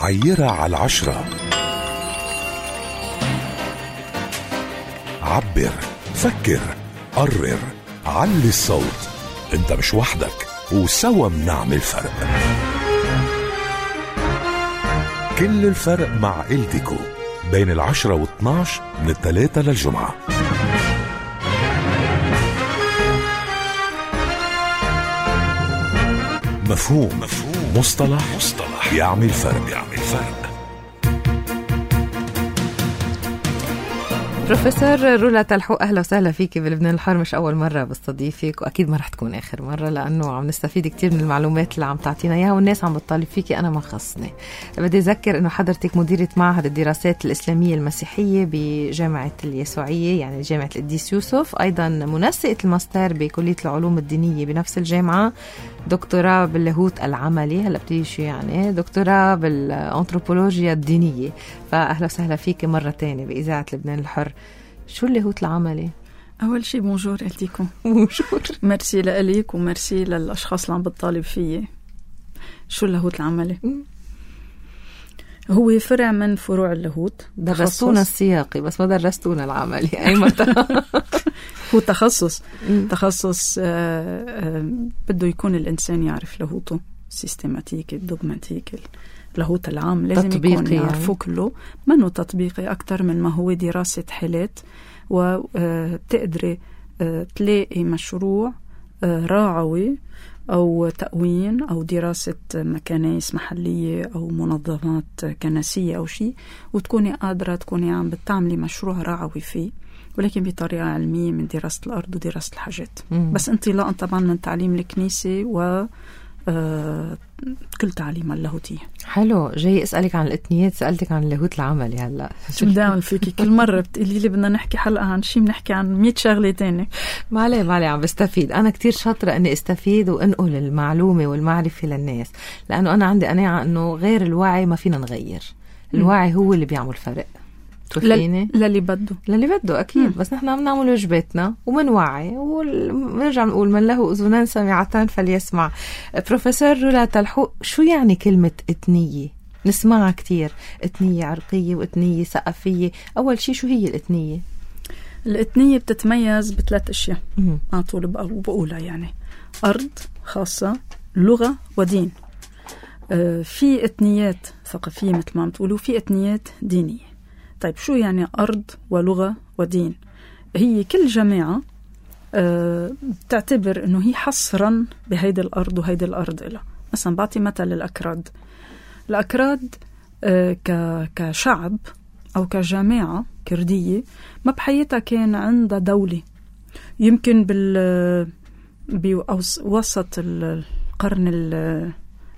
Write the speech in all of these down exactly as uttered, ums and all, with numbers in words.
عيرها على العشرة. عبر، فكر، قرر، علي الصوت. انت مش وحدك، وسوا منعمل فرق. كل الفرق مع إلتيكو بين العشرة واثناش من الثلاثة للجمعة. مفهوم. مفهوم. مصطلح. مصطلح يعمل فرق. يعمل فرق. بروفيسور رولا تلحوق، أهلا وسهلا فيك بلبنان الحر. مش أول مرة بستضيفك، وأكيد ما رح تكون آخر مرة، لأنه عم نستفيد كتير من المعلومات اللي عم تعطينا إياها، والناس عم بتطالب فيكي. أنا ما خصني. بدي أذكر أنه حضرتك مديرة معهد الدراسات الإسلامية المسيحية بجامعة اليسوعية، يعني جامعة القديس يوسف، أيضا منسقة الماستر بكلية العلوم الدينية بنفس الجامعة، دكتوراه باللاهوت العملي، هلا بتيجي شو يعني دكتوراه بالأنثروبولوجيا الدينية. فأهلا وسهلا فيك مرة تانية بإذاعة لبنان الحر. شو اللاهوت العملي؟ أول شيء بونجور إلتيكم. بونجور. مرسي لأليك ومرسي للأشخاص اللي عم بتطالب فيه. شو اللاهوت العملي؟ هو فرع من فروع اللاهوت. درستونا السياقي بس ما درستونا العملي. أي مرة. هو تخصص تخصص آه آه بده يكون الإنسان يعرف لاهوته سيستماتيك الدوغماتيك اللاهوت العام، لازم يكون يعرفه يعني. كله منه تطبيقي أكتر من ما هو دراسة حالات، وتقدري آه تلاقي مشروع آه راعوي أو تأوين أو دراسة مكانيس محلية أو منظمات كنسية أو شيء، وتكوني قادرة تكوني عم بتعملي مشروع راعوي فيه، ولكن بطريقة علمية من دراسة الأرض ودراسة الحاجات. مم. بس انطلاقا طبعا من تعليم الكنيسة و آه كل تعليم اللاهوتية. حلو. جاي أسألك عن الإثنيات، سألتك عن اللاهوت العملي. هلا شو بدي أعمل فيكي؟ كل مرة بتقولي لي بدنا نحكي حلقة عن شيء بنحكي عن مية شغلة تاني. ما عليه ما عليه، عم بستفيد. أنا كتير شاطرة أني استفيد وأنقل المعلومة والمعرفة للناس، لأنه أنا عندي قناعة أنه غير الوعي ما فينا نغير. الوعي هو اللي بيعمل فرق. توفيني للي بده للي بده أكيد. مم. بس نحن عم نعمل واجباتنا ومنوعي، ونرجع نقول من له أذنان سمعتان فليسمع. بروفيسور رولا تلحوق، شو يعني كلمة إثنية؟ نسمعها كتير، إثنية عرقية وإثنية ثقافية. أول شيء شو هي الإثنية؟ الإثنية بتتميز بثلاث أشياء على طول بقولها، يعني أرض خاصة، لغة، ودين. آه في إثنيات ثقافية مثل ما عم تقولوا، في إثنيات دينية. طيب شو يعني أرض ولغة ودين؟ هي كل جماعة أه بتعتبر أنه هي حصرا بهيدي الأرض وهيدي الأرض إلها. مثلا بعطي مثل الأكراد. الأكراد أه كشعب أو كجماعة كردية ما بحياتها كان عندها دولة. يمكن بال بوسط القرن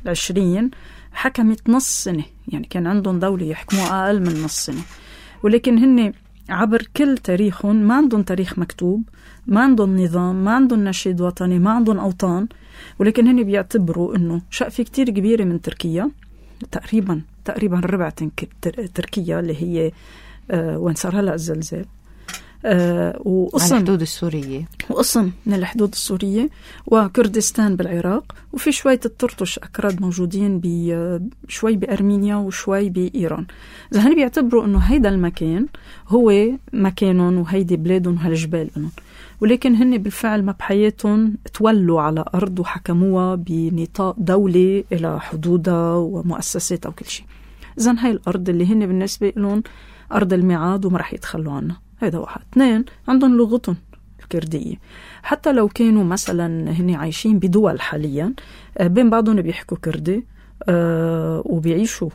العشرين حكمت نص سنة، يعني كان عندهم دولة يحكموا أقل من نص سنة، ولكن هن عبر كل تاريخهم ما عندهم تاريخ مكتوب، ما عندهم نظام، ما عندهم نشيد وطني، ما عندهم أوطان. ولكن هن بيعتبروا إنه شقفة كتير كبيرة من تركيا، تقريبا تقريبا ربع تركيا اللي هي آه وين صار هلأ الزلزال، آه وقسم على الحدود السورية، وقسم من الحدود السورية وكردستان بالعراق، وفي شوية الترتش أكراد موجودين بشوي بأرمينيا وشوي بإيران. إذا هن بيعتبروا إنه هيدا المكان هو مكانهم وهيدي بلادهم وهالجبال لهم، ولكن هن بالفعل ما بحياتهم تولوا على أرض وحكموها بنطاق دولة إلى حدودها ومؤسساتها وكل شيء. إذن هاي الأرض اللي هن بالنسبة لهم أرض الميعاد وما رح يتخلوا عنها. هيدا واحد. اثنين، عندهم لغتهم الكردية. حتى لو كانوا مثلا هن عايشين بدول حاليا بين بعضهم بيحكوا كردي أه وبيعيشوا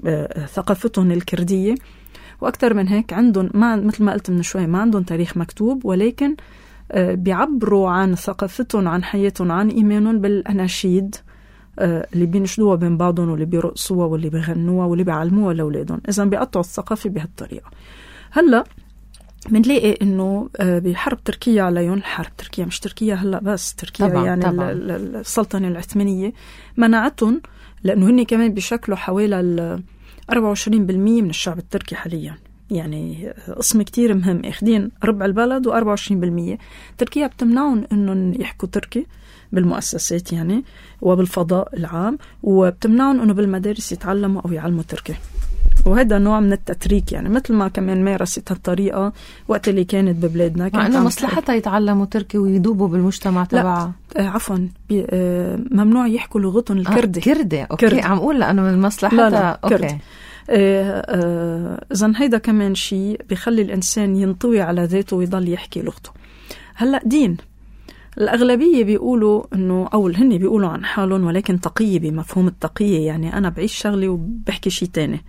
أه ثقافتهم الكردية. وأكثر من هيك عندهم ما مثل ما قلت من شوي ما عندهم تاريخ مكتوب، ولكن أه بيعبروا عن ثقافتهم، عن حياتهم، عن إيمانهم بالأناشيد أه اللي بينشدوها بين بعضهم واللي بيرقصوها واللي بيغنوها واللي بيعلموها لأولادهم. إذن بيقطعوا الثقافة بهالطريقة. هلأ منلاقي إنه بحرب تركيا عليهم، حرب تركيا مش تركيا هلأ بس، تركيا طبعاً يعني طبعاً. السلطنة العثمانية منعتهم، لأنه هن كمان بيشكلوا حوالي أربعة وعشرين بالمية من الشعب التركي حاليا، يعني قسم كتير مهم، اخدين ربع البلد وأربعة وعشرين بالمية. تركيا بتمنعهم إنهم يحكوا تركي، بالمؤسسات يعني وبالفضاء العام، وبتمنعهم أنه بالمدارس يتعلموا أو يعلموا تركي. وهذا نوع من التتريك يعني، مثل ما كمان مارست هالطريقة وقت اللي كانت ببلادنا، مع أنه مصلحتها يتعلموا تركي ويدوبوا بالمجتمع تبعها. آه عفوا آه ممنوع يحكوا لغتهم الكردي. آه كردي أوكي كردي. عم أقول لأنه من مصلحتها. لا لا أوكي. كردي. إذن هيدا كمان شيء بيخلي الإنسان ينطوي على ذاته ويضل يحكي لغته. هلأ دين الأغلبية بيقولوا إنه أو هني بيقولوا عن حالهم ولكن تقية بمفهوم التقية، يعني أنا بعيش شغلي وبحكي شيء تاني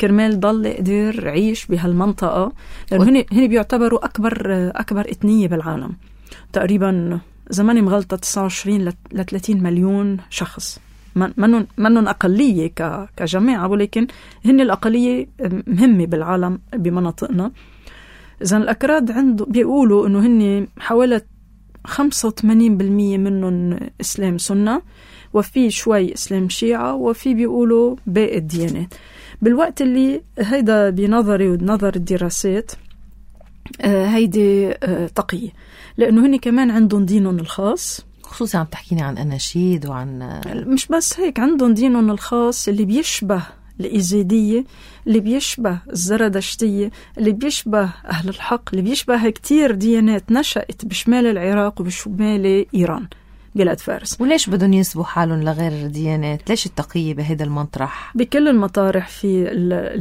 كرمال ضل قدر عيش بهالمنطقة، لأنه هني هني بيعتبروا أكبر أكبر إثنية بالعالم تقريبا، زماني مغلطة تسعة وعشرين ل ثلاثين مليون شخص، منن منن أقلية ك كجماعة ولكن هن الأقلية مهمة بالعالم بمناطقنا. إذن الأكراد عنده بيقولوا إنه هن حوالي خمسة وثمانين بالمية منهم إسلام سنة، وفي شوي إسلام شيعة، وفي بيقولوا باقي الديانات. بالوقت اللي هيدا بنظري ونظر الدراسات آه هيدي آه تقية، لأنه هني كمان عندهم دينهم الخاص، خصوصا عم تحكيني عن أناشيد وعن مش بس هيك، عندهم دينهم الخاص اللي بيشبه الإيزيدية، اللي بيشبه الزردشتية، اللي بيشبه أهل الحق، اللي بيشبه كتير ديانات نشأت بشمال العراق وبشمال إيران بلاد فارس. وليش بدهم ينسبوا حالهم لغير الديانات؟ ليش التقية بهذا المطرح؟ بكل المطارح في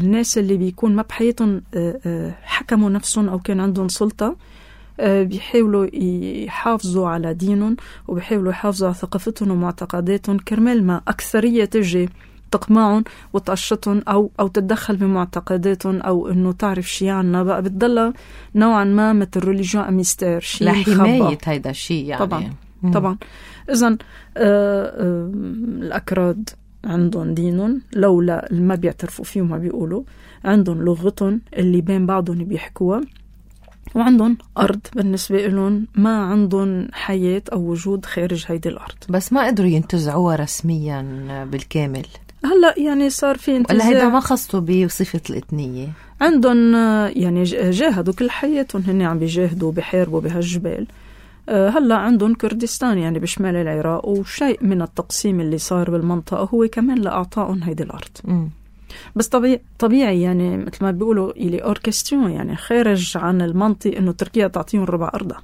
الناس اللي بيكون ما بحياتهم حكموا نفسهم أو كان عندهم سلطة بيحاولوا يحافظوا على دينهم وبيحاولوا يحافظوا على ثقافتهم ومعتقداتهم، كرمال ما أكثرية تجي تقمعهم وتقشطهم أو أو تتدخل بمعتقداتهم أو إنه تعرف شيء عنها، بقى بتضل نوعا ما مثل ريليجيون أميستير، شيء لحماية هيدا الشيء يعني. طبعا مم. طبعا. إذن الأكراد عندهم دينهم لولا ما بيعترفوا فيه وما بيقولوا، عندهم لغتهم اللي بين بعضهم بيحكوها، وعندهم أرض بالنسبة لهم ما عندهم حياة أو وجود خارج هيدي الأرض، بس ما قدروا ينتزعوها رسميا بالكامل. هلأ يعني صار في انتزاع، ولا هيدا ما خصوا بصفة الإثنية؟ عندهم يعني جاهدوا كل حياتهم، هن عم بيجاهدوا بحاربوا بهالجبال. هلأ عندهم كردستان يعني بشمال العراق، وشيء من التقسيم اللي صار بالمنطقة هو كمان لأعطائهم هيدي الأرض. م. بس طبيعي طبيعي يعني مثل ما بيقولوا إلي أوركستيون، يعني خارج عن المنطق إنه تركيا تعطيهم ربع أرضها،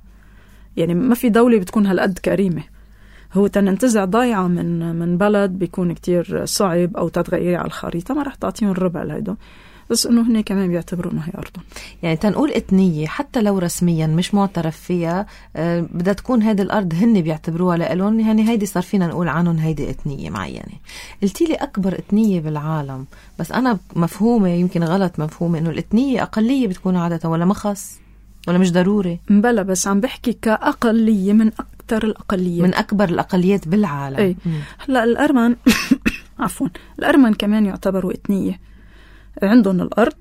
يعني ما في دولة بتكون هالقد كريمة. هو تننتزع ضايعة من من بلد بيكون كتير صعب أو تتغيري على الخريطة، ما رح تعطيهم الربع لهيدا، بس إنه هني كمان بيعتبروا إنه هي أرضهم. يعني تنقول إثنية حتى لو رسميا مش معترف فيها، أه بدها تكون هيدي الأرض هن بيعتبروها لإلهم، يعني هيدي صار فينا نقول عنهم هيدي إثنية معينة. قلتي لي أكبر إثنية بالعالم، بس أنا مفهومة يمكن غلط مفهومة إنه الإثنية أقلية بتكون عادة، ولا ما خص ولا مش ضروري؟ مبلا، بس عم بحكي كأقلية من أكتر الأقليات، من أكبر الأقليات بالعالم. أي. هلا الأرمن عفوا الأرمن كمان يعتبروا إثنية، عندهم الأرض،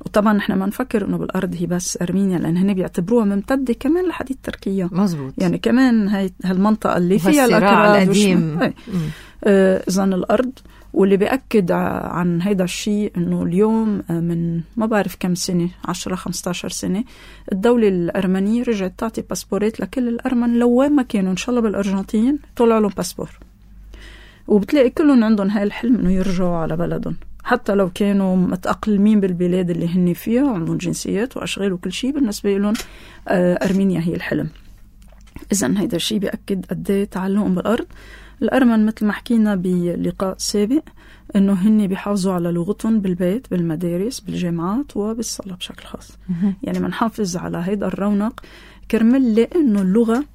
وطبعا نحن ما نفكر إنه بالأرض هي بس أرمينيا، لأن هن بيعتبروها ممتدة كمان لحديد تركيا. مزبوط. يعني كمان هاي هالمنطقة اللي فيها الأكراد القديم. آه إذن الأرض، واللي بيأكد عن هيدا الشيء إنه اليوم من ما بعرف كم سنة، عشرة خمسة عشر سنة، الدولة الأرمنية رجعت تعطي باسبورات لكل الأرمن لو وين ما كانوا، إن شاء الله بالأرجنتين طلع لهم باسبور، وبتلاقي كلهم عندهم هاي الحلم إنه يرجعوا على بلدهم، حتى لو كانوا متأقلمين بالبلاد اللي هن فيها وعندهم جنسيات وأشغال وكل شيء، بالنسبة لهم أرمينيا هي الحلم. إذن هيدا الشيء بيأكد قد تعلقهم بالأرض. الأرمن مثل ما حكينا بلقاء سابق إنه هن بيحافظوا على لغتهم بالبيت، بالمدارس، بالجامعات، وبالصلاة بشكل خاص. يعني منحافظ على هيدا الرونق كرمال، لأنه اللغة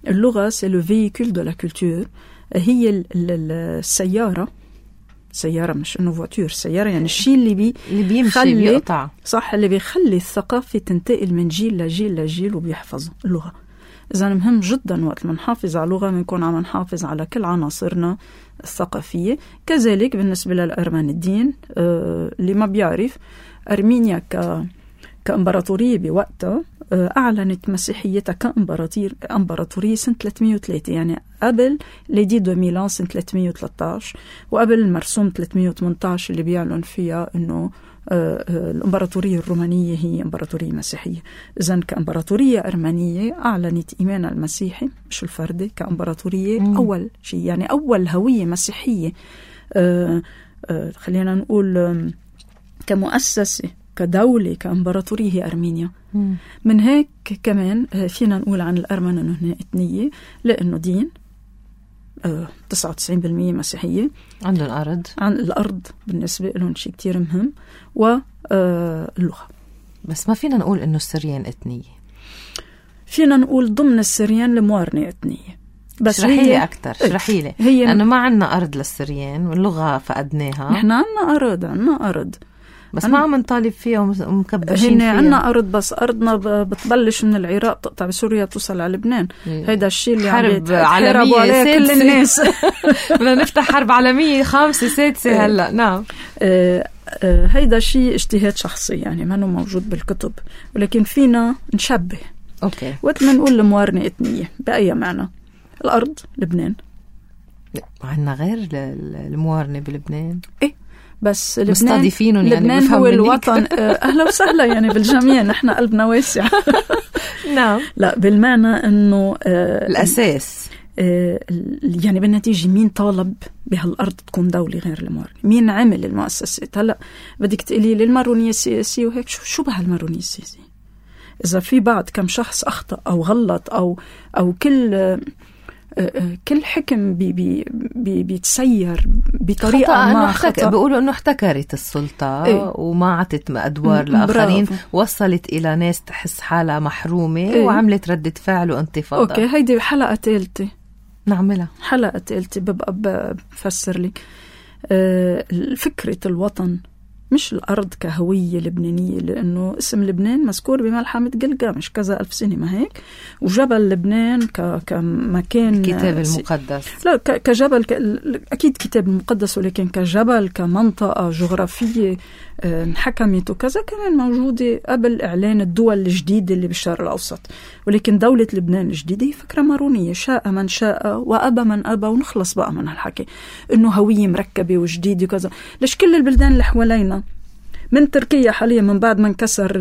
اللغة c'est le véhicule de la culture، هي السيارة سيارة مش إنه فواتور، سيارة يعني الشيء اللي بي اللي بيمشي بيقطع، صح، اللي بيخلي الثقافة تنتقل من جيل لجيل لجيل وبيحفظوا اللغة. إذا مهم جدا وقت ما نحافظ على اللغة بنكون عم نحافظ على كل عناصرنا الثقافية. كذلك بالنسبة للأرمن الدين، آه اللي ما بيعرف أرمينيا ك كإمبراطورية بوقتها أعلنت مسيحيتها كإمبراطورية سنة ثلاثمية وثلاثة، يعني قبل ليدي دو ميلان سنة ثلاثمية وثلاثة عشر، وقبل المرسوم ثلاثمية وثمانية عشر اللي بيعلن فيها إنه الإمبراطورية الرومانية هي إمبراطورية مسيحية. إذن كإمبراطورية أرمنية أعلنت إيمانها المسيحي مش الفردي كإمبراطورية. مم. أول شيء يعني أول هوية مسيحية أه أه خلينا نقول أه كمؤسسة كدولة كإمبراطورية هي أرمينيا. مم. من هيك كمان فينا نقول عن الأرمن أنه هنا إثنية، لأنه دين أه تسعة وتسعين بالمية مسيحية، عندهم أرض، عن الأرض بالنسبة لهم شيء كتير مهم، واللغة. بس ما فينا نقول أنه السريان إثنية، فينا نقول ضمن السريان الموارنة إثنية. بس اشرحي لي أكتر، اشرحي لي، لأنه ما عنا أرض للسريان واللغة فقدناها. نحن عنا أرض، عنا أرض بس ما عم نطالب فيها ومكبشين فيها. هن عنا أرض، بس أرضنا بتبلش من العراق تقطع بسوريا توصل على لبنان. هيدا الشيء اللي حرب عالمية عليه كل الناس. بدنا نفتح حرب عالمية خامسة سادسة هلأ. نعم. آه آه هيدا شيء اجتهاد شخصي، يعني ما هو موجود بالكتب، ولكن فينا نشبه. أوكي. وقت ما نقول الموارنة إثنية بأي معنى؟ الأرض لبنان، عنا غير الموارنة بلبنان. إيه بس لبنان مستضيفينهم يعني، لبنان هو الوطن. أهلا وسهلا يعني بالجميع، نحن قلبنا واسع. نعم. لا بالمعنى أنه آه الأساس آه يعني بالنتيجة مين طالب بهالأرض تكون دولة غير المارونية؟ مين عمل المؤسسات؟ هلأ بدك تقولي لي المارونية السياسية وهيك، شو شو بهالمارونية السياسية؟ إذا في بعض كم شخص أخطأ أو غلط أو أو كل آه كل حكم بي بي بي بيتسير بطريقة ما خطأ، بيقولوا إنه احتكرت السلطة. إيه؟ وما عطت أدوار م- لآخرين، برافو. وصلت إلى ناس تحس حالها محرومة. إيه؟ وعملت ردة فعل وانتفاضة. أوكي، هيدي حلقة ثالثة نعملها، حلقة ثالثة ببقى بفسر لك أه فكرة الوطن، مش الأرض كهوية لبنانية، لأنه اسم لبنان مذكور بملحمة جلجامش كذا ألف سنة ما هيك، وجبل لبنان ك كمكان الكتاب المقدس، لا ك كجبل ك أكيد كتاب المقدس، ولكن كجبل كمنطقة جغرافية انحكمت وكذا كمان موجودة قبل إعلان الدول الجديدة اللي بالشرق الأوسط. ولكن دولة لبنان الجديدة هي فكرة مارونية، شاء من شاء وأبى من أبى، ونخلص بقى من هالحكي إنه هوية مركبة وجديدة وكذا. ليش كل البلدان اللي حوالينا من تركيا حاليا من بعد ما انكسر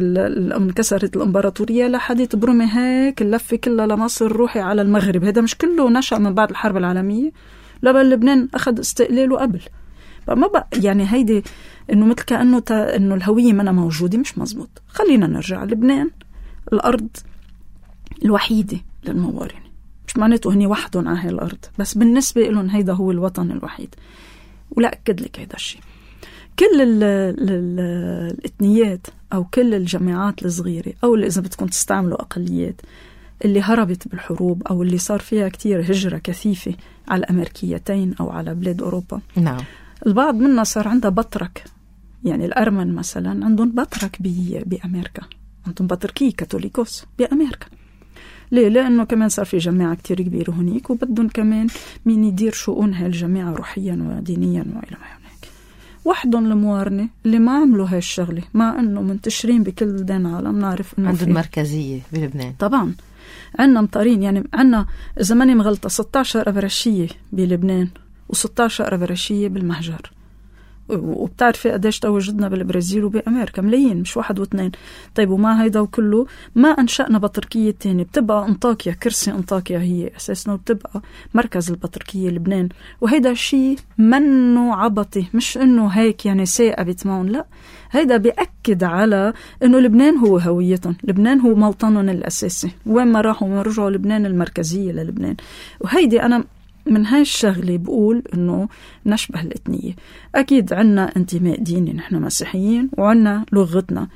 انكسرت الامبراطوريه لحديت برمي هيك اللفه كلها لمصر، روحي على المغرب، هذا مش كله نشأ من بعد الحرب العالميه؟ لا بل لبنان اخذ استقلاله قبل. فما بقى يعني هيدي انه مثل كانه انه الهويه منا موجوده، مش مزبوط. خلينا نرجع. لبنان الارض الوحيده للموارنه، مش معناته هني وحدهم على هاي الارض، بس بالنسبه لهم هيدا هو الوطن الوحيد. ولا اكد لك هيدا الشيء. كل ال ال ال الإثنيات أو كل الجماعات الصغيرة أو اللي إذا بدكم تستعملوا أقليات اللي هربت بالحروب أو اللي صار فيها كتير هجرة كثيفة على الأمريكيتين أو على بلاد أوروبا. نعم. البعض منا صار عندها بطرك، يعني الأرمن مثلا عندهم بطرك بأمريكا، عندهم بطركية كاثوليكوس بأمريكا. ليه؟ لأنه كمان صار في جماعة كتير كبيرة هناك، وبدهم كمان مين يدير شؤون هاي الجماعة روحيا ودينيا وإلى ما هناك. وحدهم الموارنة اللي ما عملوا هاي الشغلة، مع أنه منتشرين بكل بلدان العالم. نعرف أنه عندهم مركزية بلبنان طبعا، عندنا مطارين، يعني عندنا إذا ماني مغلطة ستة عشر أبرشية بلبنان وستة عشر أبرشية بالمهجر. وبتعرفي قديش تواجدنا بالبرازيل وبأمريكا، ملايين مش واحد واثنين. طيب وما هيدا وكله ما أنشأنا بطركية تاني، بتبقى أنطاكيا، كرسي أنطاكيا هي أساسنا، وبتبقى مركز البطركية لبنان. وهيدا شيء منه عبطي، مش إنه هيك يعني سائبت معهم، لا، هيدا بيأكد على إنه لبنان هو هويتهم، لبنان هو موطنهم الأساسي، وين ما راحوا ما رجعوا لبنان المركزية للبنان. وهيدي أنا من هاي الشغلة بقول إنه نشبه الإثنية. أكيد عنا انتماء ديني، نحن مسيحيين وعنا لغتنا.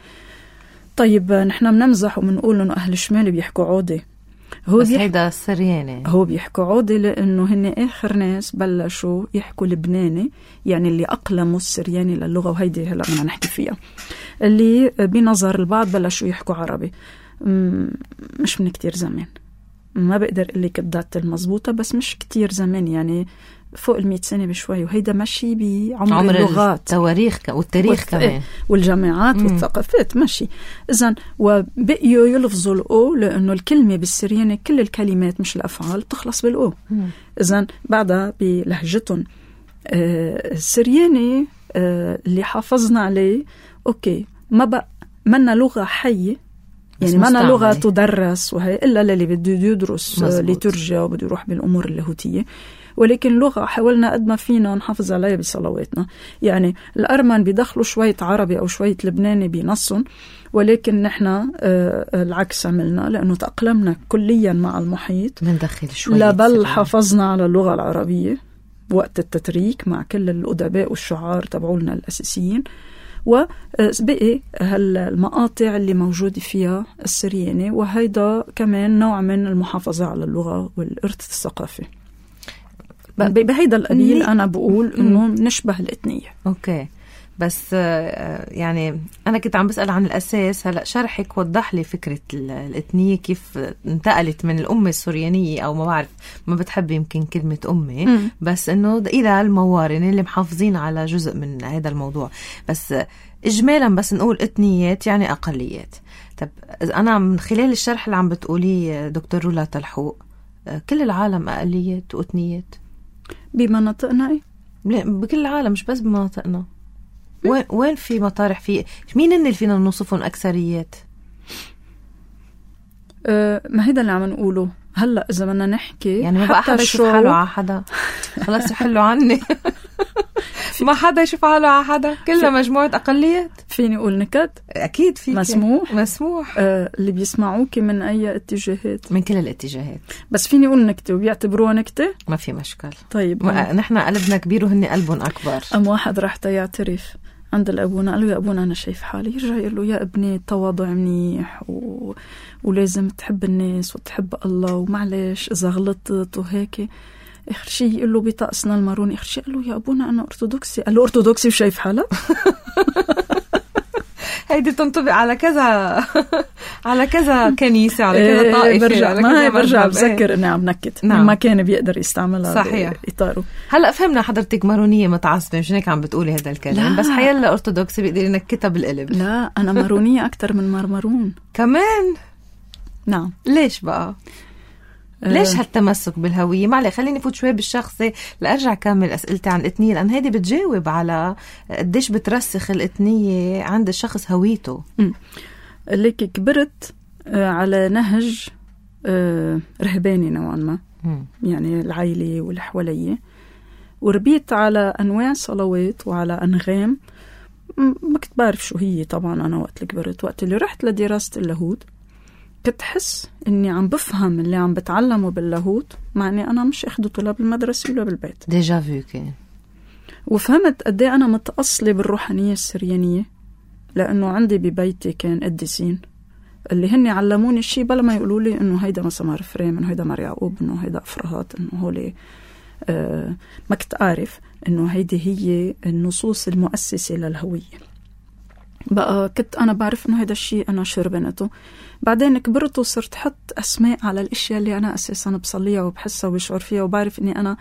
طيب نحن بنمزح وبنقول إنه أهل الشمال بيحكوا عودي، هو بس بيح... هيدا السرياني، هو بيحكوا عودي لأنه هن آخر ناس بلشوا يحكوا لبناني، يعني اللي أقلموا السرياني للغة. وهيدي هلأ بدنا نحكي فيها. اللي بنظر البعض بلشوا يحكوا عربي مش من كتير زمان، ما بقدر أقول لك الدات المضبوطة، بس مش كتير زمان، يعني فوق المئة سنة بشوي، وهيدا ماشي بعمر عمر اللغات التواريخ والتاريخ والت... كمان والجامعات مم. والثقافات ماشي. إذن وبقيوا يلفظوا الأو لأنه الكلمة بالسريانة كل الكلمات مش الأفعال تخلص بالأو. إذن بعدها بلهجتهم آه السرياني آه اللي حافظنا عليه أوكي ما بقى منا لغة حية، يعني منا لغة تدرس وهي إلا للي بده يدرس ليتورجيا وبده يروح بالأمور اللاهوتية، ولكن لغة حاولنا قد ما فينا نحافظ عليها بصلواتنا. يعني الأرمن بيدخلوا شوية عربي أو شوية لبناني بنصهم، ولكن نحن آه العكس عملنا لأنه تأقلمنا كليا مع المحيط، بندخل شوية لا بل حافظنا على اللغة العربية وقت التتريك مع كل الأدباء والشعار تبعولنا الأساسيين، وبقي هالمقاطع اللي موجودة فيها السرياني، وهيدا كمان نوع من المحافظة على اللغة والإرث الثقافي. بهيدا القليل أنا بقول إنه نشبه الإثنية. أوكي، بس يعني أنا كنت عم بسأل عن الأساس. هلأ شرحك وضح لي فكرة الإثنية كيف انتقلت من الأمة السوريانية، أو ما بعرف ما بتحب يمكن كلمة أمة م. بس إنه إلى الموارن اللي محافظين على جزء من هذا الموضوع. بس إجمالا بس نقول إثنيات يعني أقليات. طب أنا من خلال الشرح اللي عم بتقولي دكتور رولا تلحوق، كل العالم أقليات وإثنيات بمناطقنا؟ إيه؟ بكل العالم مش بس بمناطقنا. وين وين في مطارح في مين اللي فينا نوصفهم أكثريات؟ أه ما هيدا اللي عم نقوله هلا. إذا بدنا نحكي يعني ما بقى حدا يشوف حاله على حدا، خلاص يحلوا عني. ما حدا يشوف حاله على حدا، كلها مجموعة أقليات. فيني أقول نكت؟ أكيد فيك. مسموح مسموح. أه اللي بيسمعوك من أي اتجاهات؟ من كل الاتجاهات. بس فيني أقول نكتة وبيعتبروها نكتة؟ ما في مشكل. طيب نحن قلبنا كبير وهن قلبهم أكبر. أم واحد راح يعترف عند الأبونا، قال له يا أبونا أنا شايف حالي، يرجع يقول له يا ابني التواضع منيح و... ولازم تحب الناس وتحب الله، ومعلش إذا غلطت وهيك. آخر شيء يقول له بطقسنا الماروني، آخر شيء قال له يا أبونا أنا أرثوذكسي. قال له أرثوذكسي وشايف حالك؟ هيدي تنطبق على كذا على كذا كنيسة، على كذا طائفة. برجع ما برجع بذكر إني عم نكت. نعم. ما كان بيقدر يستعملها صحيح بإطاره. هلأ فهمنا حضرتك مارونية متعصبة، مش هيك عم بتقولي هذا الكلام. بس حيلا أرثوذكسي بيقدر ينكتها بالقلب. لا أنا مارونية أكتر من مرمرون كمان. نعم. ليش بقى؟ ليش هالتمسك بالهوية؟ معلي خليني فوت شوي بالشخصي لأرجع كامل أسئلتي عن الإثنية، لأن هيدي بتجاوب على قديش بترسخ الإثنية عند الشخص هويته. ليك كبرت على نهج رهباني نوعا ما، يعني العائلة والحولية، وربيت على أنواع صلوات وعلى أنغام ما كنت بعرف شو هي. طبعا أنا وقت اللي كبرت، وقت اللي رحت لدراسة اللاهوت كنت حس إني عم بفهم اللي عم بتعلمه باللاهوت، مع إني أنا مش أخدته لا بالمدرسة ولا بالبيت. ديجا فيو كان. وفهمت قدي أنا متأصلة بالروحانية السريانية، لأنه عندي ببيتي كان قديسين اللي هني علموني الشيء بلا ما يقولوا لي إنه هيدا مسمار فريم، إنه هيدا مار يعقوب، إنه هيدا أفراهات، إنه هولي آه ما كنت أعرف إنه هيدي هي النصوص المؤسسة للهوية. بقى كنت أنا بعرف إنه هيدا الشيء أنا شربنته. بعدين كبرت وصرت حط أسماء على الأشياء اللي أنا أساساً بصليها وبحسها وبشعر فيها، وبعرف إني أنا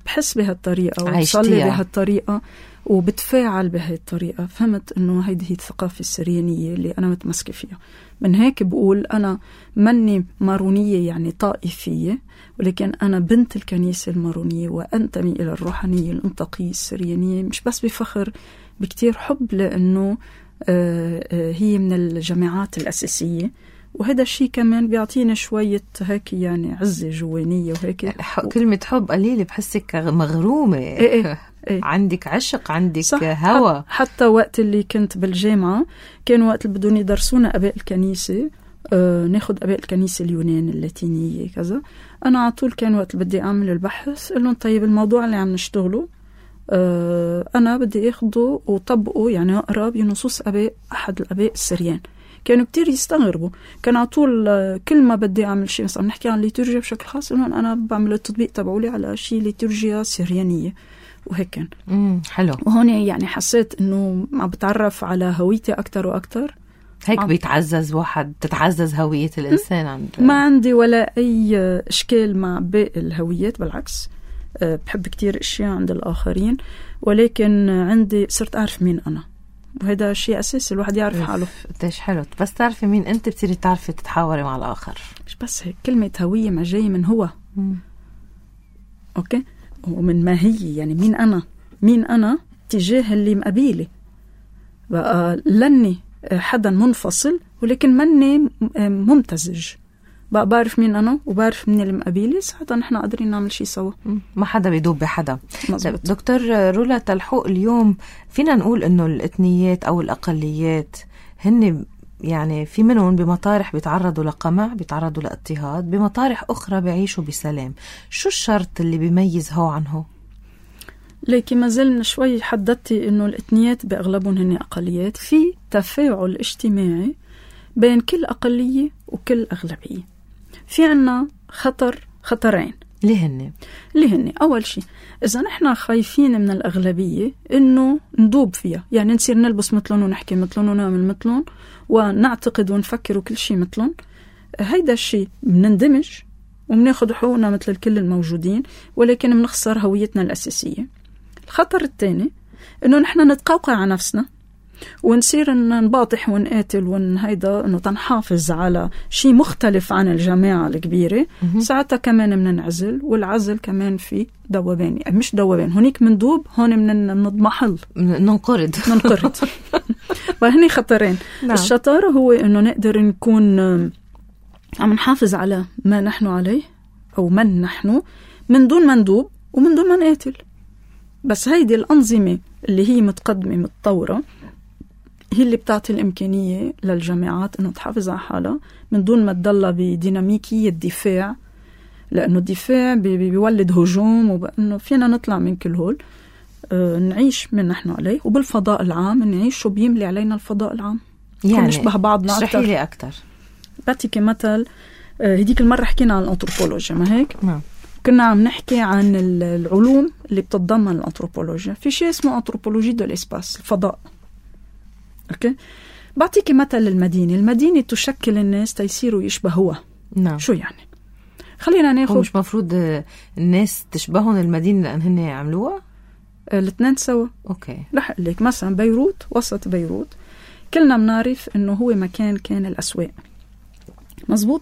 بحس بهالطريقة وبصلي بهالطريقة وبتفاعل بهالطريقة. فهمت إنه هيدي هي الثقافة السريانية اللي أنا متمسكة فيها. من هيك بقول أنا مني مارونية يعني طائفية، ولكن أنا بنت الكنيسة المارونية وأنتمي إلى الروحانية الانتقية السريانية، مش بس بفخر، بكتير حب، لأنه هي من الجامعات الأساسية، وهذا الشيء كمان بيعطينا شوية هيك يعني عزة جوانية وهيك. كلمة حب قليلة بحسك مغرومة. إيه إيه إيه. عندك عشق، عندك هوى. حتى وقت اللي كنت بالجامعة كان وقت اللي بدون يدرسونا أباء الكنيسة، آه ناخد أباء الكنيسة اليونان اللاتينية كذا. أنا على طول كان وقت اللي بدي أعمل البحث قلن طيب الموضوع اللي عم نشتغله آه أنا بدي أخده وطبقه، يعني أقرأ بنصوص أباء أحد الأباء السريان. كانوا كتير يستغربوا. كان على طول كل ما بدي أعمل شيء مثلا نحكي عن ليتورجيا بشكل خاص، إنه أنا بعمل التطبيق تبعولي على شيء ليتورجيا سريانية وهيك كان. امم حلو. وهون يعني حسيت إنه عم بتعرف على هويتي أكتر وأكتر. هيك عم بيتعزز واحد، تتعزز هوية الإنسان. عند ما عندي ولا أي إشكال مع باقي الهويات، بالعكس بحب كتير اشياء عند الاخرين، ولكن عندي صرت اعرف مين انا، وهذا شيء اساسي الواحد يعرف حاله. قديش حلو بس تعرفي مين انت بتصيري تعرفي تتحاوري مع الاخر. مش بس هيك، كلمه هويه ما جاي من هو. مم. اوكي، ومن ما هي، يعني مين انا مين انا تجاه اللي مقابيلي. بقى لاني حدا منفصل ولكن مني ممتزج، بقى بعرف مين أنا وبعرف مين اللي مقابيلي، ساعتها نحن قادرين نعمل شيء سوا، ما حدا بيدوب بحدا. مزبوط. دكتور رولا تلحوق، اليوم فينا نقول إنه الإثنيات أو الأقليات هن يعني في منهم بمطارح بيتعرضوا لقمع، بيتعرضوا لاضطهاد، بمطارح أخرى بيعيشوا بسلام. شو الشرط اللي بيميز هو عن هو؟ لكن ما زلنا شوي حددتي إنه الإثنيات بأغلبهم هن أقليات، في تفاعل اجتماعي بين كل أقلية وكل أغلبية. في عنا خطر خطرين. ليه هن؟ ليه هن؟ أول شيء إذا نحن خايفين من الأغلبية إنه ندوب فيها، يعني نصير نلبس مثلهم ونحكي مثلهم ونعمل مثلهم ونعتقد ونفكر وكل شيء مثلهم، هيدا الشيء بنندمج وبناخد حقوقنا مثل الكل الموجودين، ولكن بنخسر هويتنا الأساسية. الخطر الثاني إنه نحن نتقوقع على نفسنا ونصير نباطح ونقاتل ونهيدا إنه تنحافظ على شيء مختلف عن الجماعة الكبيرة. ساعتها كمان مننعزل، والعزل كمان في دوبان، يعني مش دوبان، هونيك مندوب، هون من نضمحل، ننقرض ننقرض وهني خطرين. نعم. الشطارة هو إنه نقدر نكون عم نحافظ على ما نحن عليه أو من نحن من دون ما ندوب ومن دون ما نقاتل. بس هيدي الأنظمة اللي هي متقدمة متطورة هي اللي بتعطي الإمكانية للجامعات إنه تحافظ على حالها من دون ما تضلها بديناميكية الدفاع، لأنه الدفاع بيولد هجوم، وبأنه فينا نطلع من كل هول، آه نعيش من نحن عليه، وبالفضاء العام نعيش شو بيملي علينا الفضاء العام، يعني نشبه بعضنا أكتر. اشرحي لي أكتر. بعطيك مثل، آه هديك المرة حكينا عن الأنثروبولوجيا، ما هيك؟ نعم. كنا عم نحكي عن العلوم اللي بتتضمن الأنثروبولوجيا. في شيء اسمه أنثروبولوجي دو الإسباس، الفضاء. أوكي؟ بعطيك مثل المدينة. المدينة تشكل الناس تيصيروا يشبهوها. نعم. شو يعني؟ خلينا ناخد. مش مفروض الناس تشبهون المدينة لأن هن يعملوها؟ الاثنين سوا. أوكي. رح أقول لك مثلا بيروت، وسط بيروت كلنا بنعرف إنه هو مكان كان الأسواق. مزبوط؟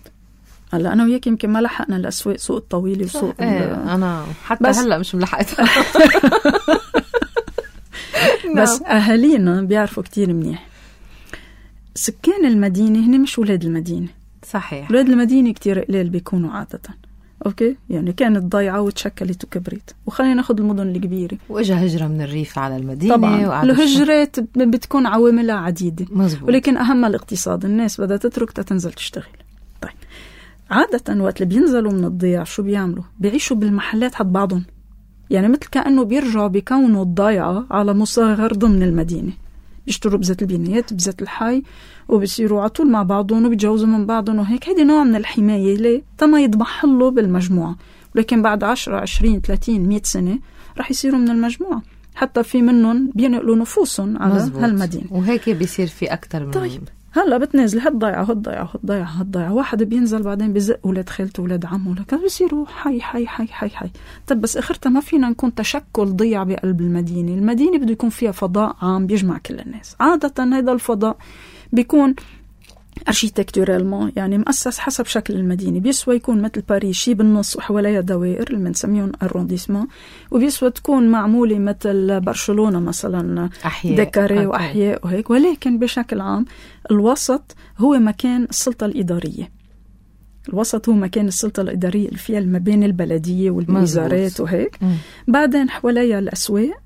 هلا أنا وياك يمكن ما لحقنا الأسواق، سوق الطويلة وسوق ايه أنا حتى هلا مش ملحقتها. بس أهالينا بيعرفوا كتير منيح سكان المدينة هن مش ولاد المدينة. صحيح. ولاد المدينة كتير قليل بيكونوا عادة. أوكي، يعني كانت ضايعة وتشكلت وكبرت. وخلينا ناخد المدن الكبيرة، وإجا هجرة من الريف على المدينة. طبعا الهجرات بتكون عواملها عديدة. مزبوط. ولكن أهم الاقتصاد، الناس بدها تترك تتنزل تشتغل. طيب عادة وقت اللي بينزلوا من الضياع شو بيعملوا؟ بيعيشوا بالمحلات حد بعضهم، يعني مثل كأنه بيرجعوا بيكونوا الضيعة على مصغر ضمن المدينة، بيشتروا بذات البنايات بذات الحي وبيصيروا على طول مع بعضهم وبيتجوزوا من بعضهم وهيك. هيدي نوع من الحماية ليه؟ تما يضمحلوا بالمجموعة، ولكن بعد عشرة عشرين ثلاثين مئة سنة رح يصيروا من المجموعة، حتى في منهم بينقلوا نفوسهم على مزبوط. هالمدينة، وهيك بيصير في أكتر من. طيب هلا بتنازل هالضيعة هالضيعة هالضيعة هالضيعة، واحد بينزل بعدين بزق ولاد خالته ولاد عمه، لكن بيصيروا حي حي حي حي حي. طب بس اخرتها ما فينا نكون تشكل ضيع بقلب المدينة. المدينة بده يكون فيها فضاء عام بيجمع كل الناس. عادة هذا الفضاء بيكون ارشيتكتورالمون، يعني مؤسس حسب شكل المدينة. بيسوى يكون مثل باريس شي بالنص وحواليها دوائر اللي بنسميهم ارونديسمون، وبيسوى تكون معمولة مثل برشلونة مثلا ديكاري واحياء وهيك. ولكن بشكل عام الوسط هو مكان السلطة الإدارية. الوسط هو مكان السلطة الإدارية اللي فيها ما بين البلدية والوزارات وهيك. م. بعدين حواليها الأسواق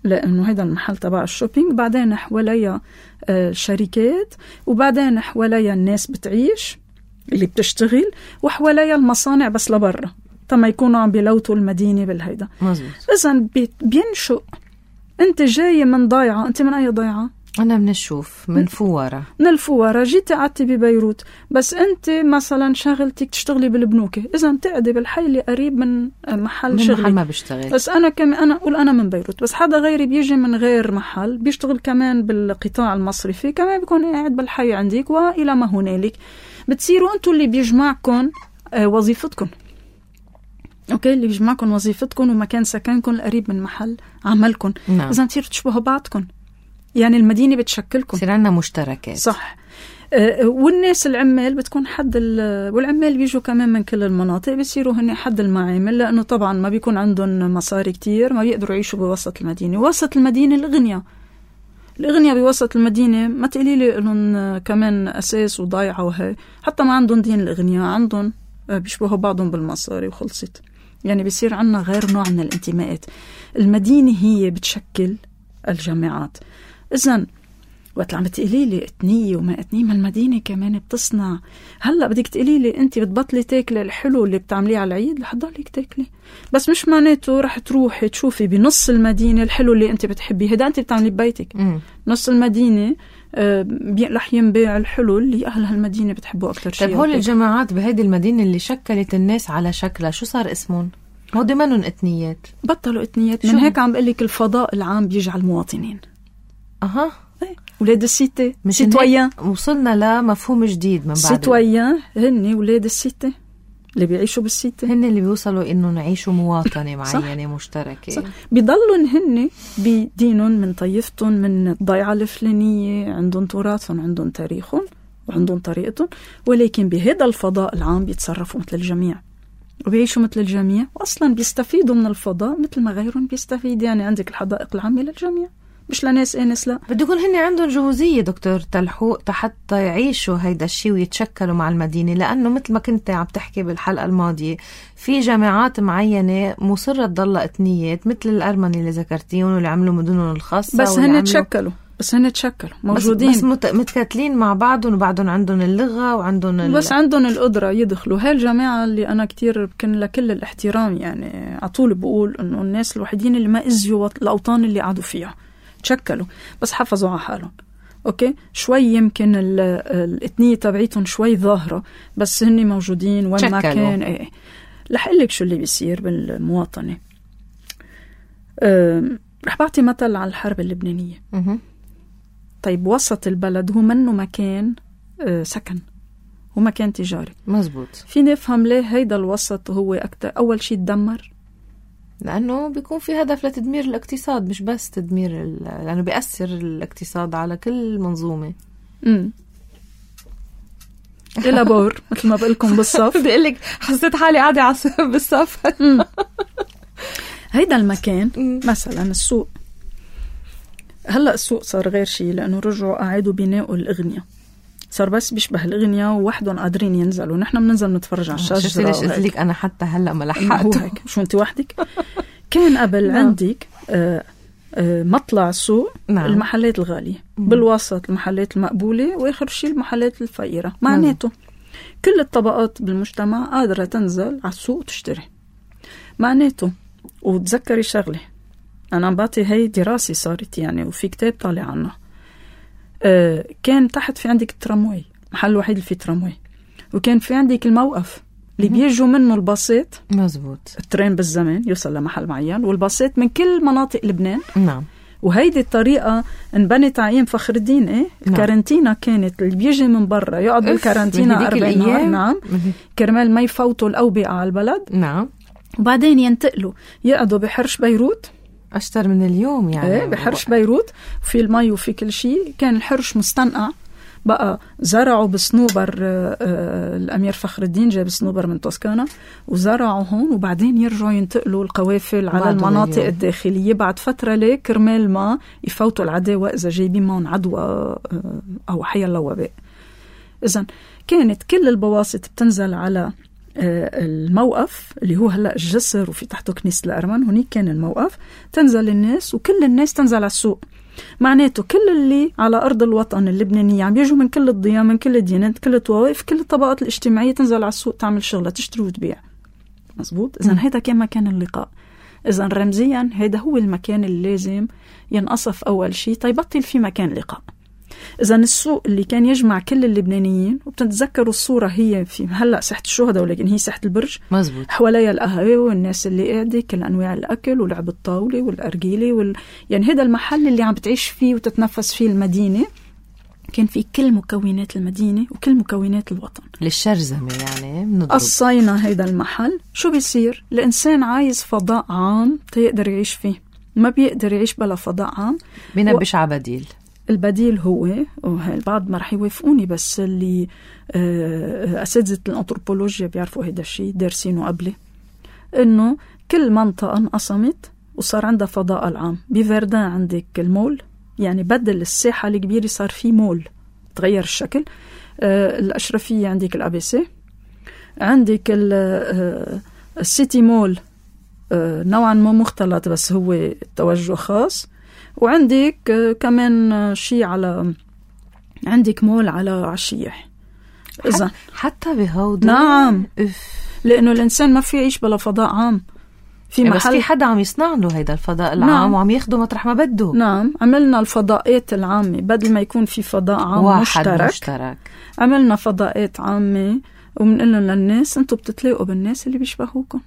لأنه هذا المحل تبع الشوبينج، بعدين حواليها الشركات، وبعدين حواليها الناس بتعيش اللي بتشتغل، وحواليها المصانع بس لبرا تما يكونوا عم بيلوتوا المدينة بالهيدا. إذن بينشؤ. أنت جاي من ضيعة، أنت من أي ضيعة؟ أنا من الشوف، من فوارة. من الفوارة جيتي قعدتي ببيروت، بس أنت مثلا شغلتك تشتغلي بالبنوكة، إذا تقعدي بالحي اللي قريب من محل من شغلي. محل ما بشتغل. بس أنا كم أنا أقول أنا من بيروت، بس حدا غيري بيجي من غير محل بيشتغل كمان بالقطاع المصرفي، كمان بيكون قاعد بالحي عندك، وإلى ما هنالك بتصيروا أنتوا اللي بيجمعكم وظيفتكم. أوكي، اللي بيجمعكم وظيفتكم ومكان سكنكم القريب من محل عملكم. نعم. إذا تصيروا تشبهوا بعضكم، يعني المدينة بتشكلكم. يصير عندنا مشتركات. صح. أه والناس العمال بتكون حد والعمال بيجوا كمان من كل المناطق، بيصيروا هن حد المعامل، لأنه طبعا ما بيكون عندهم مصاري كتير، ما بيقدروا يعيشوا بوسط المدينة. وسط المدينة الأغنياء، الأغنياء بوسط المدينة ما تقولي لي إنهم كمان أساس وضايعة وهي، حتى ما عندهم دين. الأغنياء عندهم بيشبهوا بعضهم بالمصاري وخلصت. يعني بيصير عنا غير نوع من الانتماءات. المدينة هي بتشكل الجامعات. إذن وقت عم تقولي لي اتنية وما اتنية، ما المدينة كمان بتصنع. هلأ بدك تقولي لي أنت بتبطلي تاكلي الحلو اللي بتعمليه على العيد، رح تضلك تاكلي، بس مش معناته رح تروحي تشوفي بنص المدينة الحلو اللي أنت بتحبيه. هذا أنت بتعمليه ببيتك. م. نص المدينة رح ينباع الحلو اللي أهل هالمدينة بتحبوه أكتر شيء. طيب هول الجماعات بهيدي المدينة اللي شكلت الناس على شكلها، شو صار اسمهم؟ هو دمنهم اتنيات، بطلوا اتنيات. من هيك عم بقلك الفضاء العام بيجعل مواطنين. أها، ولاد السيتي، سيتويان. وصلنا لمفهوم جديد من بعد. سيتويان هن ولاد السيتي اللي بيعيشوا بالسيتي، هن اللي بيوصلوا إنه نعيشوا مواطنة معينة مشتركة. صح. بيضلوا هن بدينهم، من طيفتهم، من الضيعة الفلانية، عندهم تراثهم، عندهم تاريخهم وعندهم طريقتهم، ولكن بهذا الفضاء العام بيتصرفوا مثل الجميع وبيعيشوا مثل الجميع، وأصلا بيستفيدوا من الفضاء مثل ما غيرهم بيستفيد. يعني عندك الحدائق العامة للجميع، مش لناس انس. لا، بده يكون هن عندهم جهوزية دكتور تلحوق حتى يعيشوا هيدا الشيء ويتشكلوا مع المدينة. لأنه مثل ما كنت عم تحكي بالحلقة الماضية، في جامعات معينة مصرة تضل اتنيات، مثل الأرمني اللي ذكرتيهم واللي عملوا مدنهم الخاصة، بس هن تشكلوا بس هن تشكلوا موجودين، بس, بس متكاتلين مع بعضهم، وبعدهم عندهم اللغة وعندهم ال... بس عندهم القدرة يدخلوا. هاي الجامعة اللي أنا كتير بكن لكل الاحترام، يعني عطول بقول إنه الناس الوحيدين اللي ما إزيوا الأوطان اللي قعدوا فيها، تشكلوا بس حافظوا على حالهم. أوكي، شوي يمكن الاتنية تبعيتهم شوي ظاهرة، بس هن موجودين وين ما كان. ايه رح أقول لك شو اللي بيصير بالمواطنة. أه رح بعطي مثل على الحرب اللبنانية. م- طيب وسط البلد هو منه مكان أه سكن، هو مكان تجاري. مزبوط. فيني أفهم ليه هيدا الوسط هو أكتر. أول شيء تدمر، لأنه بيكون في هدف لتدمير الاقتصاد، مش بس تدمير ال... لأنه بيأثر الاقتصاد على كل منظومة. امم إلى بور مثل ما بقولكم بالصف. بدي أقولك حسيت حالي قاعدة على بالصف. هيدا المكان مثلا السوق. هلأ السوق صار غير شيء، لأنه رجعوا قاعدوا بناءوا الأغنية، صار بس بيشبه الأغنية ووحدهم قادرين ينزلوا. نحن بننزل نتفرج على الشجرة. ليش قلت لك أنا حتى هلأ ما لحقت. شو أنت وحدك؟ كان قبل عندك آه آه مطلع السوق. نعم. المحلات الغالية، بالوسط المحلات المقبولة، وآخر شيء المحلات الفقيرة. معناته كل الطبقات بالمجتمع قادرة تنزل على السوق وتشتري. معناته وتذكري شغلة، أنا عم بعطي هاي دراسة صارت يعني، وفي كتاب طالع عنها. آه كان تحت في عندك الترامواي، محل وحيد اللي فيه ترامواي، وكان في عندك الموقف اللي بيجوا منه الباصات. مزبوط. الترين بالزمان يوصل لمحل معين، والباصات من كل مناطق لبنان. نعم. وهيدي الطريقة انبنت عين فخر الدين. ايه نعم. الكارنتينا كانت اللي بيجي من برا يقعد بالكارنتينا أربعين نهار. نعم. كرمال ما يفوتوا الأوبئة على البلد. نعم. وبعدين ينتقلوا يقعدوا بحرش بيروت أشتر من اليوم يعني. ايه بحرش بيروت، وفي المي وفي كل شيء. كان الحرش مستنقع بقى. زرعوا بصنوبر آه آه الأمير فخر الدين جاي بصنوبر من توسكانا، وزرعوا هون، وبعدين يرجعوا ينتقلوا القوافل على المناطق اليوم. الداخلية بعد فترة ليه كرمال ما يفوتوا العداوة إذا جايبين معهم عدوى آه أو حيا الله وباء. إذن كانت كل البواسط بتنزل على الموقف اللي هو هلأ الجسر، وفي تحته كنيسة الأرمن. هناك كان الموقف، تنزل الناس وكل الناس تنزل على السوق. معناته كل اللي على أرض الوطن اللبنانية عم بيجوا من كل الضياء، من كل الديانات، كل الطوائف، كل الطبقات الاجتماعية تنزل على السوق تعمل شغلة، تشتري وتبيع. مزبوط. إذن هيدا كان مكان اللقاء. إذن رمزيا هيدا هو المكان اللي لازم ينقصف أول شيء تيبطل في مكان لقاء. إذن السوق اللي كان يجمع كل اللبنانيين، وبتتذكروا الصورة هي في هلأ ساحة الشهداء، ولكن هي ساحة البرج. مزبوط. حواليها القهوة والناس اللي قاعدة، كل أنواع الأكل ولعب الطاولة والأرجيلة وال... يعني هذا المحل اللي عم بتعيش فيه وتتنفس فيه المدينة. كان في كل مكونات المدينة وكل مكونات الوطن. للشرزمة يعني بنضرب. قصينا هيدا المحل. شو بيصير؟ الإنسان عايز فضاء عام تيقدر يعيش فيه، ما بيقدر يعيش بلا فضاء عام، بينبش و... على بديل. البديل هو، البعض ما رح يوافقوني، بس اللي أساتذة الأنثروبولوجيا بيعرفوا هيدا الشيء، دارسينه قبلي، إنه كل منطقة انقسمت وصار عندها فضاء العام. بفردان عندك المول، يعني بدل الساحة الكبيرة صار في مول، تغير الشكل. آه الأشرفية عندك الأبيسي، عندك السيتي مول آه نوعا ما مختلط بس هو توجه خاص، وعندك آه كمان شيء على عندك مول على عشيح. إذا حتى بهودا نعم إف. لأنه الإنسان ما في يعيش بلا فضاء عام. في محل بس في حدا عم يصنع له هيدا الفضاء العام. نعم. وعم ياخده مطرح ما بده. نعم، عملنا الفضاءات العامة بدل ما يكون في فضاء عام واحد مشترك, مشترك. عملنا فضاءات عامة وبنقول لهم للناس انتم بتتلاقوا بالناس اللي بيشبهوكم.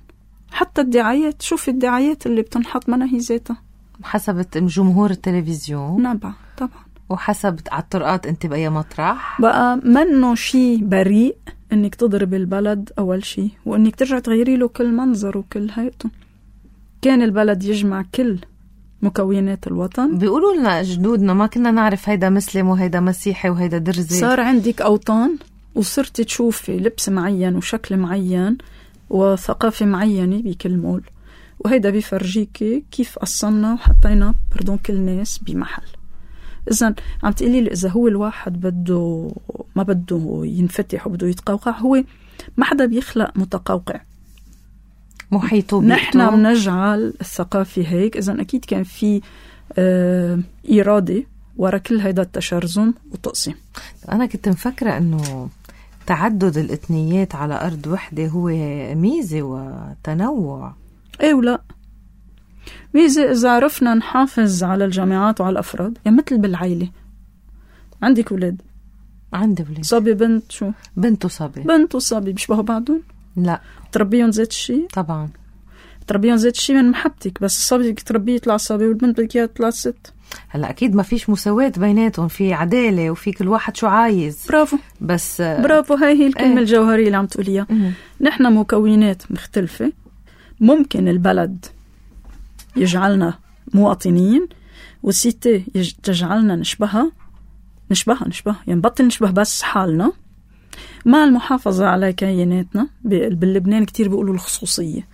حتى الدعايات، شوفي الدعايات اللي بتنحط منها هي ذاتها حسب جمهور التلفزيون. نعم طبعا، وحسب على الطرقات انت بأي مطرح. بقى منه شيء بريء انك تضرب البلد اول شيء، وانك ترجع تغيري له كل منظر وكل هيئته. كان البلد يجمع كل مكونات الوطن. بيقولوا لنا جدودنا ما كنا نعرف هيدا مسلم وهيدا مسيحي وهيدا درزي. صار عندك أوطان وصرت تشوفي لبس معين وشكل معين وثقافة معينة بكل مول، وهيدا بيفرجيكي كيف قصنا وحطينا بردون كل ناس بمحل. إذن عم تقولي لي إذا هو الواحد بده ما بده ينفتح وبده يتقوقع، هو ما حدا بيخلق متقوقع، محيطه بيته. نحن بنجعل الثقافة هيك. إذن أكيد كان في آه إرادة ورا كل هيدا التشرذم وتقسيم. أنا كنت مفكرة أنه تعدد الإثنيات على أرض وحدة هو ميزة وتنوع. إيه ولا ميزة إذا عرفنا نحافظ على الجامعات وعلى الأفراد. يعني مثل بالعائلة، عندك ولاد؟ عندي ولاد. صبي بنت؟ شو بنت وصبي؟ بنت وصبي بيشبهوا بعضهم؟ لا. تربيهم زيت الشيء؟ طبعا تربيهم زيت الشيء من محبتك، بس الصبي بدك تربيه يطلع صبي والبنت بدك اياها تطلع ست. هلا اكيد ما فيش مساواة بيناتهم، في عدالة وفي كل واحد شو عايز. برافو، بس برافو، هاي هي الكلمة ايه. الجوهرية اللي عم تقوليها. نحن مكونات مختلفة، ممكن البلد يجعلنا مواطنين والسيتي تجعلنا نشبهها نشبهها نشبهها يعني بطل نشبه بس حالنا مع المحافظة على كياناتنا. باللبنان كتير بيقولوا الخصوصية.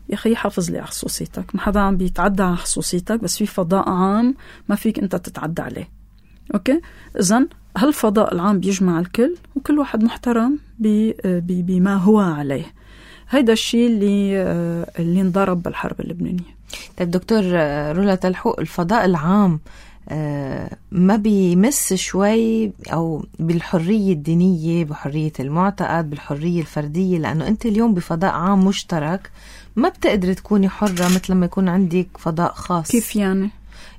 يا أخي حافظ لي على خصوصيتك، ما حدا عم بيتعدى على خصوصيتك، بس في فضاء عام ما فيك أنت تتعدى عليه. أوكي؟ إذن هالفضاء العام بيجمع الكل وكل واحد محترم بما هو عليه. هيدا الشيء اللي اللي انضرب بالحرب اللبنانية. طيب دكتور رولا تلحوق، الفضاء العام ما بيمس شوي أو بالحرية الدينية، بحرية المعتقد، بالحرية الفردية؟ لأنه أنت اليوم بفضاء عام مشترك ما بتقدر تكوني حرة مثل ما يكون عندك فضاء خاص. كيف يعني؟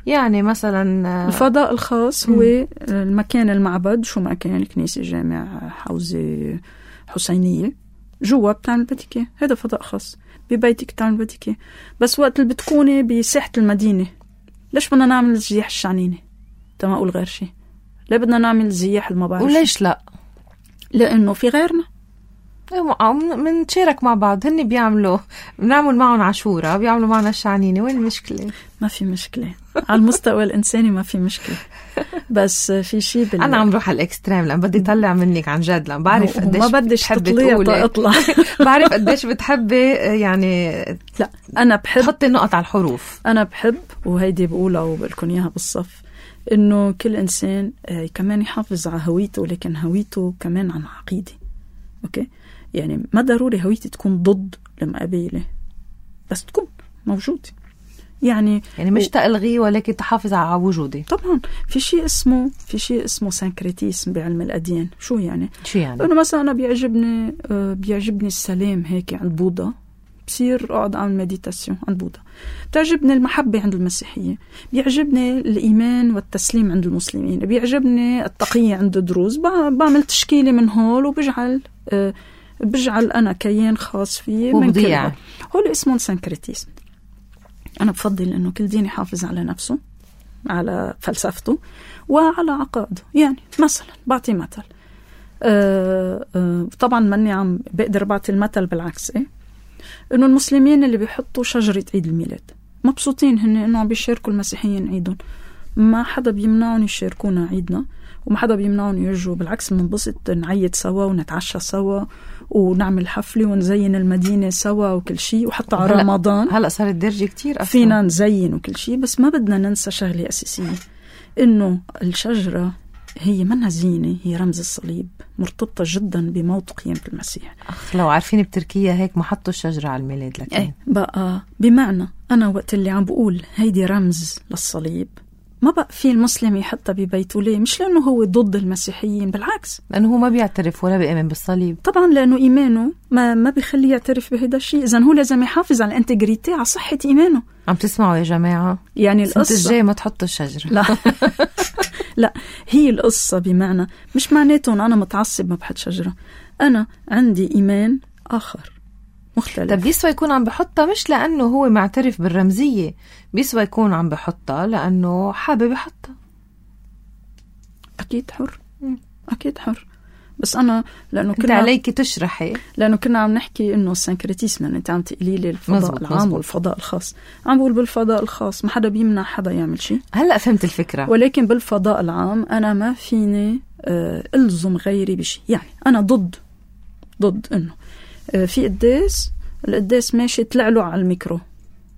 يعني مثلا الفضاء الخاص هو م. المكان المعبد، شو ما كان، الكنيسة، جامع، حوزة حسينية، جوا بتعمل بديكي، هذا فضاء خاص. ببيتك بتعمل بديكي، بس وقت اللي بتكوني بساحة المدينة ليش بدنا نعمل الزياح الشعنينة؟ تما أقول غير شيء. ليه بدنا نعمل زياح المبارش؟ وليش لا؟ لأنه في غيرنا منشارك مع بعض. هني بيعملوا، بنعمل معهم عاشورة، بيعملوا معنا الشعنينة. وين المشكلة؟ ما في مشكلة على المستوى الإنساني، ما في مشكلة. بس في شيء بال... أنا عم روح على الإكستريم لأن بدي طلع منك عن جد، لأن بعرف قديش ما بديش تطلع اطلع بعرف قديش بتحبي يعني. لا أنا بحب حطي النقط على الحروف. أنا بحب، وهيدي بقولها وبقولكن إياها بالصف، إنه كل إنسان كمان يحافظ على هويته، لكن هويته كمان عن عقيدة. أوكي؟ يعني ما ضروري هويتي تكون ضد المقابلة، بس تكون موجودة. يعني يعني مش تلغي ولكن تحافظ على وجودي. طبعا في شيء اسمه في شيء اسمه سانكريتيسم بعلم الأديان. شو يعني؟ شو يعني؟ أنا مثلا أنا بيعجبني بيعجبني السلام هيك عند بوذا، بصير أقعد أعمل مديتاسيون عند بوذا. بتعجبني المحبة عند المسيحية، بيعجبني الإيمان والتسليم عند المسلمين، بيعجبني التقية عند الدروز. بعمل تشكيلة من هول وبجعل أه بجعل أنا كيان خاص فيه من كل هول. هو اسمه سانكريتيسم. أنا بفضل إنه كل دين يحافظ على نفسه على فلسفته وعلى عقائده. يعني مثلا بعطي مثل، أه أه طبعا ماني عم بقدر بعطي المثل بالعكس، إيه؟ إنه المسلمين اللي بيحطوا شجرة عيد الميلاد مبسوطين هن إنه عم بيشاركوا المسيحيين عيدهم، ما حدا بيمنعون يشاركونا عيدنا وما حدا بيمنعون يجوا، بالعكس بننبسط نعيد سوا ونتعشى سوا ونعمل حفلة ونزين المدينة سوا وكل شيء، وحتى على رمضان هلأ صارت درجة كتير أصلاً فينا نزين وكل شيء. بس ما بدنا ننسى شغلة أساسية، إنه الشجرة هي منها زينة، هي رمز الصليب، مرتبطة جدا بموت قيامة المسيح. أخ لو عارفين بتركيا هيك ما حطوا الشجرة على الميلاد لكن ايه بقى بمعنى أنا وقت اللي عم بقول هيدي رمز للصليب ما بقى في المسلم يحطها ببيته. ليه؟ مش لأنه هو ضد المسيحيين، بالعكس لأنه هو ما بيعترف ولا بيؤمن بالصليب. طبعا لأنه إيمانه ما ما بيخليه يعترف بهذا الشيء، إذن هو لازم يحافظ على الانتجريتي، على صحة إيمانه. عم تسمعوا يا جماعة؟ يعني القصة القصة الجاي ما تحطوا الشجرة. لا لا، هي القصة بمعنى مش معناته أنا متعصب ما بحط شجرة، أنا عندي إيمان آخر مختلف. طب بيسوى يكون عم بحطها مش لأنه هو معترف بالرمزية، بيسوى يكون عم بحطها لأنه حابب يحطها. أكيد حر، أكيد حر. بس أنا لأنه كنت كنا عليك تشرحي، لأنه كنا عم نحكي إنه السنكريتيسم، يعني أنت عم تقولي لي الفضاء مزبط العام مزبط. والفضاء الخاص. عم بقول بالفضاء الخاص ما حدا بيمنع حدا يعمل شيء. هلأ فهمت الفكرة. ولكن بالفضاء العام أنا ما فيني آه ألزم غيري بشيء. يعني أنا ضد ضد إنه آه في قداس، القداس ماشي طلع له على الميكرو،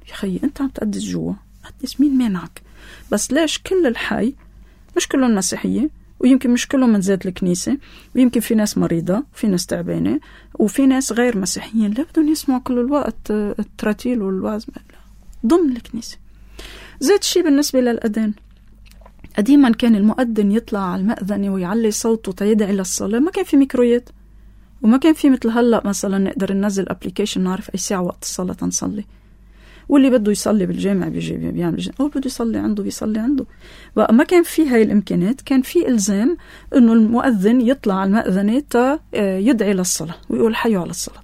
يا خيي أنت عم تقدس جوا، قدس، مين مانعك؟ بس ليش كل الحي مش كلهم مسيحية، ويمكن مش كلهم من ذات الكنيسة، ويمكن في ناس مريضة وفي ناس تعبانة وفي ناس غير مسيحيين لا بدهم يسمعوا كل الوقت التراتيل والوعظ ضمن الكنيسة. زيت الشيء بالنسبة للأذان، قديما كان المؤذن يطلع على المأذنة ويعلي صوته تيدعي للصلاة، ما كان في ميكرويات وما كان في مثل هلأ مثلا نقدر ننزل ابليكيشن نعرف أي ساعة وقت الصلاة نصلي، واللي بده يصلي بالجامع بيجي بيعمل جامع، أو بده يصلي عنده بيصلي عنده. بقى ما كان في هاي الإمكانات، كان في إلزام إنه المؤذن يطلع على المأذنة تا يدعي للصلاة ويقول حيوا على الصلاة.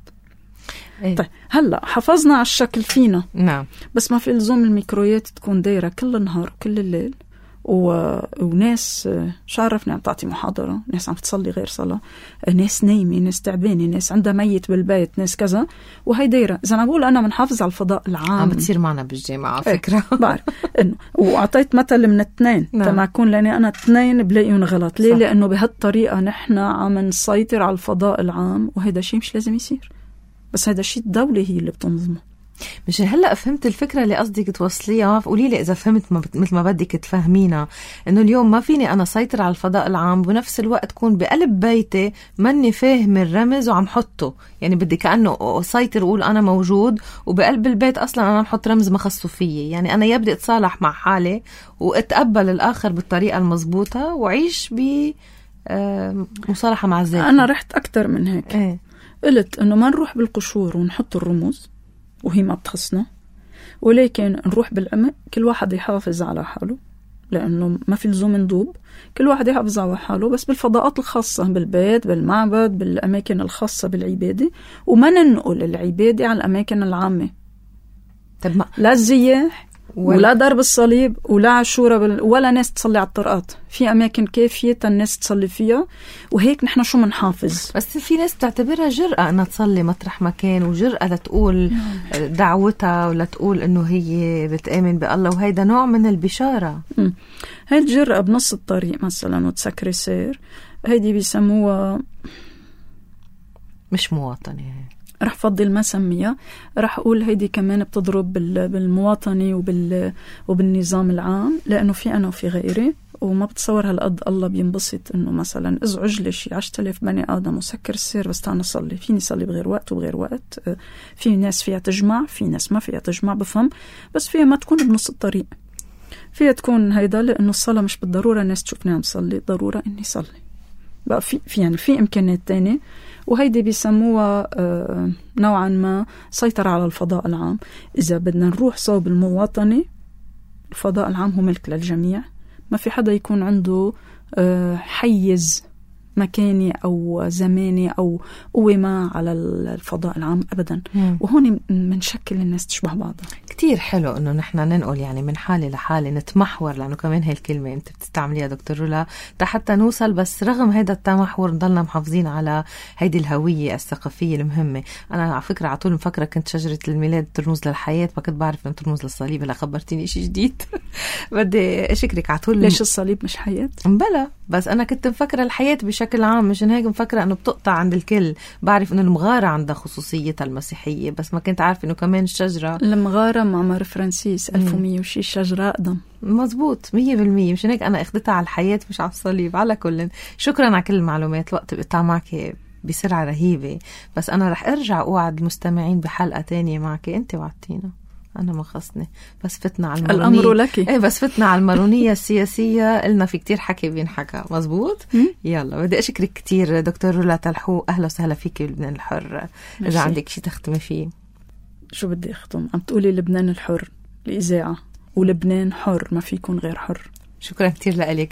إيه؟ طيب هلأ حفظنا على الشكل فينا، نعم، بس ما في إلزام الميكرويات تكون دايرة كل النهار وكل الليل، و... وناس شو عرفني عم تعطي محاضرة، ناس عم تصلي غير صلاة، ناس نايمة، ناس تعبانة، ناس عندها ميت بالبيت، ناس كذا، وهي دايرة. إذا أنا بقول أنا منحافظ على الفضاء العام، عم بتصير معنا بالجامعة على فكرة. ايه بعرف إنه وأعطيت مثل من اثنين نعم. تما أكون لأني أنا اثنين بلاقيهم غلط. ليه؟ صح. لأنه بهالطريقة نحن عم نسيطر على الفضاء العام، وهذا شيء مش لازم يصير، بس هذا شيء الدولة هي اللي بتنظمه. مش هلأ فهمت الفكرة اللي قصدك توصليها؟ قولي لي إذا فهمت مثل ما بدك تفهمينا، إنه اليوم ما فيني أنا سيطر على الفضاء العام بنفس الوقت كون بقلب بيتي ماني فاهم الرمز وعم حطه، يعني بدي كأنه سيطر وقول أنا موجود وبقلب البيت أصلا أنا محط رمز ما خصو فيي. يعني أنا يبدأ اتصالح مع حالي واتقبل الآخر بالطريقة المزبوطة وعيش بمصالحة مع الذات. أنا رحت أكتر من هيك. ايه؟ قلت إنه ما نروح بالقشور ونحط الرموز وهي ما بتخصنا، ولكن نروح بالعمق، كل واحد يحافظ على حاله، لأنه ما في لزوم ندوب، كل واحد يحافظ على حاله، بس بالفضاءات الخاصة، بالبيت، بالمعبد، بالأماكن الخاصة بالعبادة، وما ننقل العبادة على الأماكن العامة. طب ما لا الزياح ولا, ولا ضرب الصليب ولا عاشورة بال... ولا ناس تصلي على الطرقات، في أماكن كافية الناس تصلي فيها، وهيك نحن شو منحافظ. بس في ناس بتعتبرها جرأة أنها تصلي مطرح مكان، وجرأة لتقول دعوتها ولا تقول إنه هي بتآمن بالله، وهيدا نوع من البشارة. م. هاي الجرأة بنص الطريق مثلا وتسكري سير، هيدي بيسموها مش مواطنة. رح فضل ما سميها، رح أقول هيدي كمان بتضرب بالمواطنة وبال وبالنظام العام، لأنه في أنا وفي غيري، وما بتصور هالقد الله بينبسط إنه مثلا ازعج لي شي عشرة آلاف بني آدم وسكر السير بس تعال نصلي. فيني صلي بغير وقت وبغير وقت، في ناس فيها تجمع، في ناس ما فيها تجمع، بفهم، بس فيها ما تكون بنص الطريق، فيها تكون هيدا، لأنه الصلاة مش بالضرورة الناس تشوفني عم صلي، ضرورة إني صلي. بقى في, في يعني في إمكانيات تانية، وهيدي بيسموها آه نوعا ما سيطرة على الفضاء العام. إذا بدنا نروح صوب المواطنة، الفضاء العام هو ملك للجميع، ما في حدا يكون عنده آه حيز مكاني أو زماني أو قوة ما على الفضاء العام أبدا. مم. وهون منشكل الناس تشبه بعضها. كتير حلو إنه نحن ننقل يعني من حالة لحالة، نتمحور، لأنه كمان هاي الكلمة أنت بتستعمليها دكتور رولا حتى نوصل، بس رغم هيدا التمحور نضلنا محافظين على هيدي الهوية الثقافية المهمة. أنا على فكرة عطول مفكرة كنت شجرة الميلاد ترمز للحياة، ما كنت بعرف إنه ترمز للصليب. هلا خبرتيني إشي جديد. بدي أشكرك عطول. ليش الصليب مش حياة؟ بلا، بس أنا كنت مفكرة الحياة بشكل عام، مشان هيك مفكرة إنه بتقطع عند الكل. بعرف إنه المغارة عندها خصوصيتها المسيحية، بس ما كنت عارف إنه كمان الشجرة المغارة معمر فرانسيس ألف ومية وشي شجرة أقدم. مزبوط مية بالمية. مشان هيك أنا أخدتها على الحياة مش على الصليب. على كل، شكرا على كل المعلومات. الوقت بقطع معك بسرعة رهيبة، بس أنا رح أرجع أوعد المستمعين بحلقة تانية معك. أنت وعدتينا، أنا ما خصني، بس فتنا على المارونية. الأمر لك. إيه بس فتنا على المارونية السياسية، قلنا في كتير حكي بينحكى. مزبوط. يلا بدي أشكرك كتير دكتور رولا تلحوق. أهلا وسهلا فيك بلبنان الحر. ماشي. إذا عندك شي تختمي فيه. شو بدي أختم؟ عم تقولي لبنان الحر الإذاعة، ولبنان حر ما فيكون غير حر. شكرا كتير لك.